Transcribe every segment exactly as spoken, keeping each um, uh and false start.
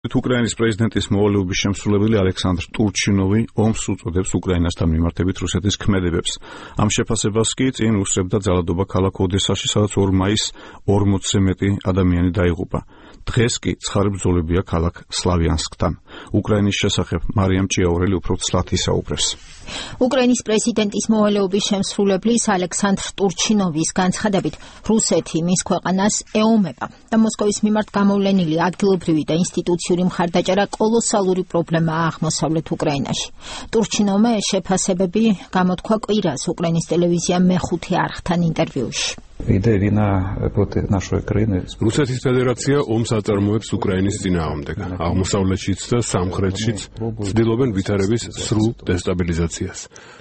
უკრაინის პრეზიდენტის მოვალეობის შემსრულებელი ალექსანდრ ტურჩინოვი ომს უწოდებს უკრაინასთან მიმართებით რუსეთის ქმედებებს. ამ შეფასებას კი წინ უსწრებდა ძალადობა ქალაქ ოდესაში, სადაც ორ მაისს ორმოცზე მეტი ადამიანი დაიღუპა. დღეს კი ცხარე ბრძოლებია ქალაქ სლავიანსკთან. უკრაინის შესახებ მარიამ ჭიაურელი უფრო ცლად ისაუბრებს. უკრაინის პრეზიდენტის მოვალეობის შემსრულებლის ალექსანდრ ტურჩინოვის განცხადებით, რუსეთი მის ქვეყანას ეომება და მოსკოვის მიმართ გამოვლენილი ადგილობრივი და ინსტიტუციური მხარდაჭერა კოლოსალური პრობლემაა აღმოსავლეთ უკრაინაში. ტურჩინოვმა ეს შეფასებები გამოთქვა კვირას უკრაინის ტელევიზიამ მეხუთე არხთან ინტერვიუში. რუსეთის ფედერაცია ომს აწარმოებს უკრაინის წინააღმდეგ. აღმოსავლეთშიც და სამხრეთშიც ცდილობენ ვითარების სრულ დესტაბილიზაციას.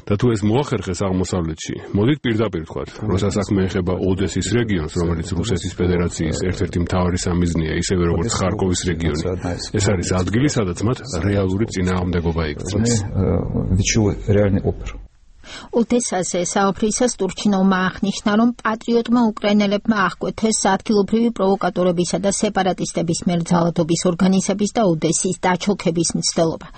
და თუ ეს მოახერხეს აღმოსავლეთში, მოდით პირდაპირ ვთქვათ, როცა საქმე ეხება ოდესის რეგიონს, რომელიც რუსეთის ფედერაციის ერთ-ერთი მთავარი სამიზნეა, ისევე როგორც ხარკოვის რეგიონი. ეს არის ადგილი, სადაც მათ რეალური წინააღმდეგობა იგრძნეს. ოდესაზე საუბრისას ტურჩინოვმა აღნიშნა, რომ პატრიოტმა უკრაინელებმა აღკვეთეს ადგილობრივი პროვოკატორებისა და სეპარატისტების მიერ ძალადობის ორგანიზების და ოდესის დაჩოქების მცდელობა.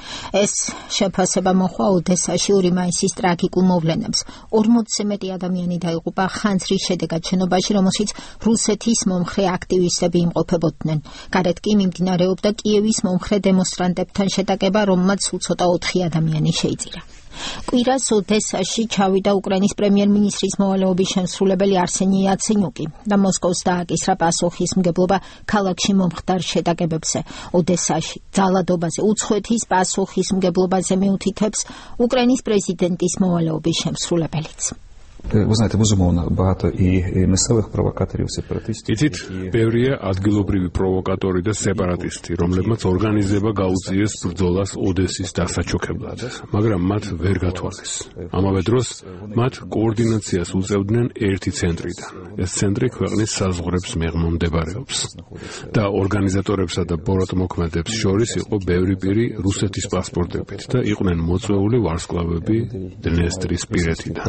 ეს შეფასება მოჰყვა ოდესაში ორი მაისის ტრაგიკულ მოვლენებს. ორმოცზე მეტი ადამიანი დაიღუპა ხანძრის შედეგად შენობაში, რომელშიც რუსეთის მომხრე აქტივისტები იმყოფებოდნენ. გარეთ კი მიმდინარეობდა კიევის მომხრე დემონსტრანტებთან შეტაკება, რომელმაც სულ ცოტა ოთხი ადამიანი შეიწირა. კვირას ოდესაში ჩავიდა უკრაინის პრემიერ-მინისტრის მოვალეობის შემსრულებელი არსენი იაცენიუკი და მოსკოვს დააკისრა პასუხისმგებლობა ქალაქში მომხდარ შეტაკებებზე. ოდესაში ძალადობაზე უცხოეთის პასუხისმგებლობაზე მიუთითებს უკრაინის პრეზიდენტის მოვალეობის შემსრულებელიც. იცით, ბევრია ადგილობრივი პროვოკატორი და სეპარატისტი, რომლებმაც ორგანიზება გაუწიეს ბრძოლას ოდესის დასაჩოქებლად, მაგრამ მათ ვერ გათვალეს. ამავე დროს მათ კოორდინაციას უწევდნენ ერთი ცენტრიდან. ეს ცენტრი ქვეყნის საზღვრებს მიღმა მდებარეობს და ორგანიზატორებსა და ბოროტმოქმედებს შორის იყო ბევრი პირი რუსეთის პასპორტებით და იყვნენ მოწვეული ვარსკვლავები დნესტრისპირეთიდან.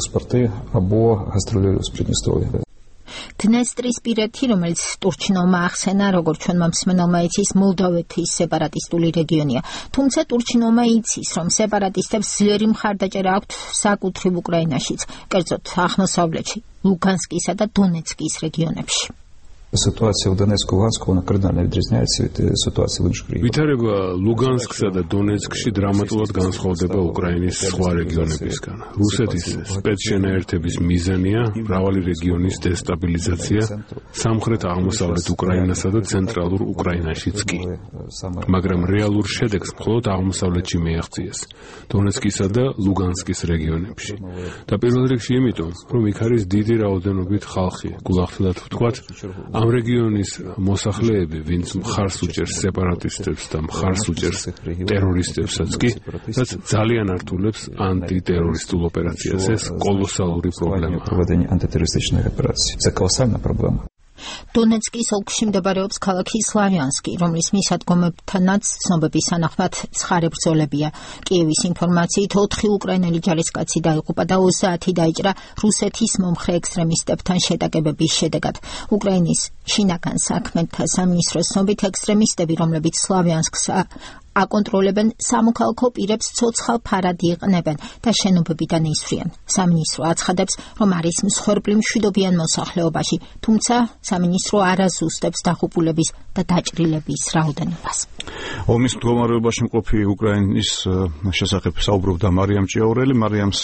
დნესტრისპირეთი, რომელიც ტურჩინოვმა ახსენა, როგორც ჩვენმა მსმენელმა იცის, მოლდოვეთის სეპარატისტული რეგიონია. თუმცა ტურჩინოვმა იცის, რომ სეპარატისტებს ძლიერი მხარდაჭერა აქვთ საკუთრივ უკრაინაშიც, კერძოდ აღმოსავლეთში, ლუგანსკისა და დონეცკის რეგიონებში. ვითარება ლუგანსკსა და დონეცკში დრამატულად განსხვავდება უკრაინის სხვა რეგიონებისგან. რუსეთის სპეცშენაერთების მიზანია მრავალი რეგიონის დესტაბილიზაცია სამხრეთ აღმოსავლეთ უკრაინასა და ცენტრალურ უკრაინაშიც კი. მაგრამ რეალურ შედეგს მხოლოდ აღმოსავლეთში მიაღწიეს, დონეცკისა და ლუგანსკის რეგიონებში. და პირველ რიგში იმიტომ, რომ იქ არის დიდი რაოდენობით ხალხი, გულახდილად ვთქვათ, ამ რეგიონის მოსახლეები, ვინც მხარს უჭერს სეპარატისტებს და მხარს უჭერს ტერორისტებსაც კი, რაც ძალიან ართულებს ანტიტერორისტულ ოპერაციას. ეს კოლოსალური პრობლემაა. დონეცკის ოლქში მდებარეობს ქალაქი სლავიანსკი, რომლის მისადგომებთანაც ცნობების თანახმად ცხარე ბრძოლებია. კიევის ინფორმაციით ოთხი უკრაინელი ჯარისკაცი დაიღუპა და ოცდაათი დაიჭრა რუსეთის მომხრე ექსტრემისტებთან შეტაკებების შედეგად. უკრაინის შინაგან საქმეთა სამინისტროს ცნობით, ექსტრემისტები, რომლებიც სლავიანსკს აკონტროლებენ, სამოქალაქო პირებს ცოცხალ ფარად იყნებენ და შენობებიდან ისვრიან. სამინისტრო აცხადებს, რომ არის მსხვერპლი მშვიდობიან მოსახლეობაში, თუმცა სამინისტრო არ აზუსტებს დაღუპულების და დაჭრილების რაოდენობას. ომის მდგომარეობაში მყოფი უკრაინის შესახებ საუბრობდა მარიამ ჭიაურელი. მარიამს